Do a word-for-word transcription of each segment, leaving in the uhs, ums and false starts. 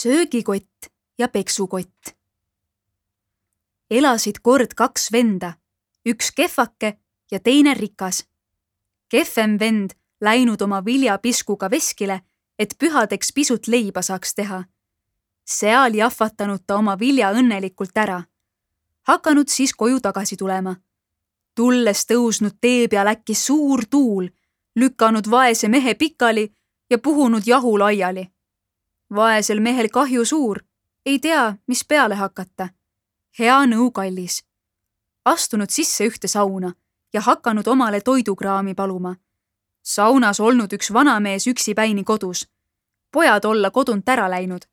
söögikott ja peksukott. Elasid kord kaks venda, üks kehvake ja teine rikas. Kehvem vend läinud oma viljapiskuga veskile, et pühadeks pisut leiba saaks teha. Seal jahvatanud ta oma vilja õnnelikult ära. Hakanud siis koju tagasi tulema. Tulles tõusnud tee peal äkki suur tuul, lükanud vaese mehe pikali ja puhunud jahu laiali. Vaesel mehel kahju suur, ei tea, mis peale hakata. Hea nõu kallis. Astunud sisse ühte sauna ja hakanud omale toidukraami paluma. Saunas olnud üks vanamees üksipäini kodus. Pojad olla kodunt ära läinud.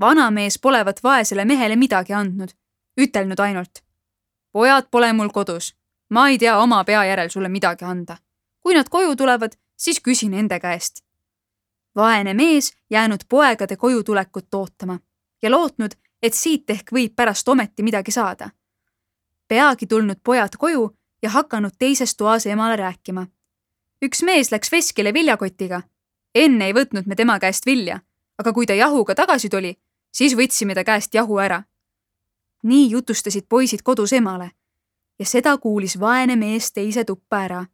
Vanamees polevat vaesele mehele midagi andnud. Ütelnud ainult. Pojad pole mul kodus. Ma ei tea oma pea järel sulle midagi anda. Kui nad koju tulevad, siis küsin ende käest. Vaene mees jäänud poegade koju tulekut ootama ja lootnud, et siit ehk võib pärast ometi midagi saada. Peagi tulnud pojad koju ja hakanud teises toas emale rääkima. Üks mees läks veskile viljakotiga. Enne ei võtnud me tema käest vilja, aga kui ta jahuga tagasi tuli, siis võtsime ta käest jahu ära. Nii jutustasid poisid kodus emale ja seda kuulis vaene mees teise tuppa ära.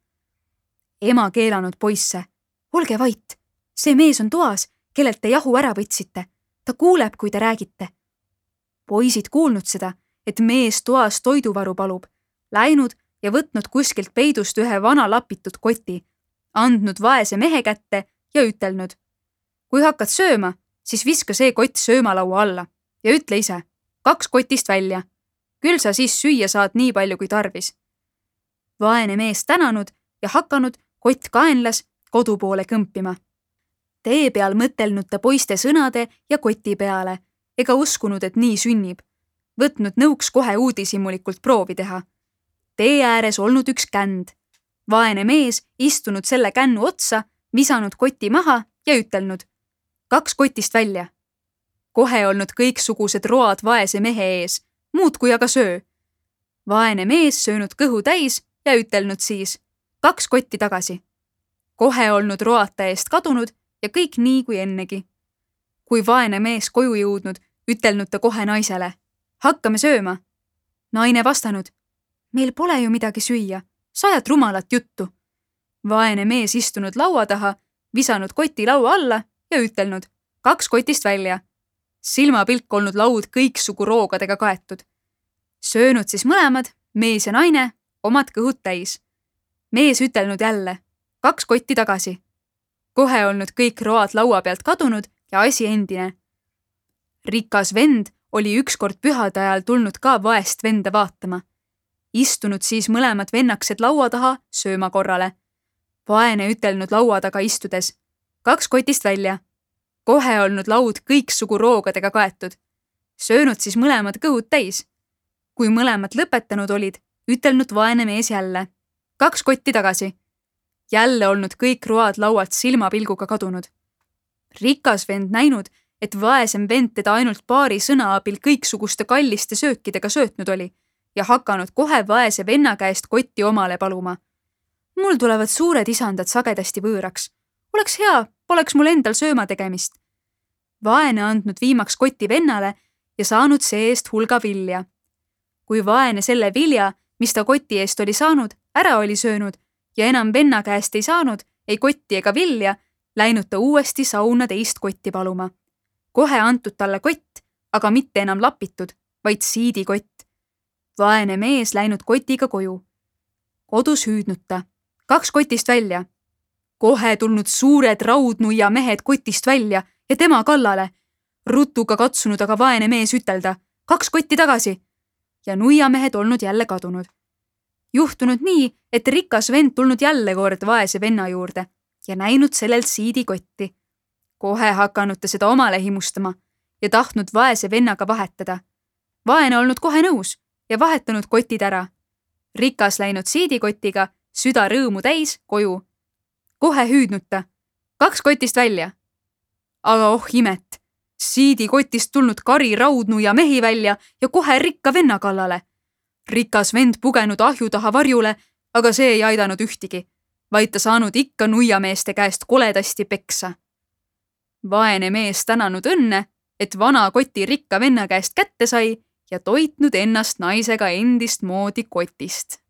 Ema keelanud poisse. Olge vait, see mees on toas, kellelt te jahu ära võtsite. Ta kuuleb, kui te räägite. Poisid kuulnud seda, et mees toas toiduvaru palub, läinud ja võtnud kuskilt peidust ühe vana lapitud koti, andnud vaese mehe kätte ja ütelnud. Kui hakkad sööma, siis viska see kott söömalaua alla ja ütle ise, kaks kotist välja. Küll sa siis süüa saad nii palju kui tarvis. Vaene mees tänanud ja hakanud kott kaenlas kodu poole kõmpima. Tee peal mõtelnud ta poiste sõnade ja koti peale, ega uskunud, et nii sünnib. Võtnud nõuks kohe uudishimulikult proovi teha. Tee ääres olnud üks känd. Vaene mees istunud selle kännu otsa, visanud koti maha ja ütelnud. Kaks kotist välja. Kohe olnud kõiksugused road vaese mehe ees, muud kui aga söö. Vaene mees söönud kõhu täis ja ütelnud siis. Kaks kotti tagasi. Kohe olnud roata eest kadunud ja kõik nii kui ennegi. Kui vaene mees koju jõudnud, ütelnud ta kohe naisele. Hakkame sööma. Naine vastanud. Meil pole ju midagi süüa. Sajad rumalat juttu. Vaene mees istunud laua taha, visanud koti laua alla ja ütelnud. Kaks kotist välja. Silmapilk olnud laud kõiksugu roogadega kaetud. Söönud siis mõlemad, mees ja naine, omad kõhud täis. Mees ütelnud jälle. Kaks kotti tagasi. Kohe olnud kõik road laua pealt kadunud ja asi endine. Rikas vend oli ükskord pühade ajal tulnud ka vaest venda vaatama. Istunud siis mõlemad vennaksed laua taha sööma korrale. Vaene ütelnud laua taga istudes. Kaks kotist välja. Kohe olnud laud kõiksugu roogadega kaetud. Söönud siis mõlemad kõhud täis. Kui mõlemad lõpetanud olid, ütelnud vaene mees jälle. Kaks kotti tagasi. Jälle olnud kõik road laualt silmapilguga kadunud. Rikas vend näinud, et vaesem vend teda ainult paari sõna abil kõiksuguste kalliste söökidega söötnud oli ja hakanud kohe vaese venna käest kotti omale paluma. Mul tulevad suured isandad sagedasti võõraks. Oleks hea, poleks mul endal sööma tegemist. Vaene andnud viimaks koti vennale ja saanud see eest hulga vilja. Kui vaene selle vilja, mis ta koti eest oli saanud, ära oli söönud ja enam venna käest ei saanud, ei kotti ega vilja, läinud ta uuesti sauna teist kotti paluma. Kohe antud talle kott, aga mitte enam lapitud, vaid siidikott. Vaene mees läinud kotiga koju. Kodus hüüdnud ta. Kaks kotist välja. Kohe tulnud suured raudnuia mehed kotist välja ja tema kallale. Rutuga katsunud aga vaene mees ütelda. Kaks kotti tagasi. Ja nuiamehed olnud jälle kadunud. Juhtunud nii, et rikas vend tulnud jälle kord vaese venna juurde ja näinud sellelt siidikotti. Kohe hakanud ta seda omale himustama ja tahtnud vaese vennaga vahetada. Vaene olnud kohe nõus ja vahetanud kotid ära. Rikas läinud siidikotiga, süda rõõmu täis, koju. Kohe hüüdnud ta. Kaks kotist välja. Aga oh imet, siidikotist tulnud kari raudnu ja mehi välja ja kohe rikka venna kallale. Rikas vend pugenud ahju taha varjule, aga see ei aidanud ühtigi, vaid ta saanud ikka nuiameeste käest koledasti peksa. Vaene mees tänanud õnne et vana koti rikka venna käest kätte sai ja toitnud ennast naisega endist moodi kotist.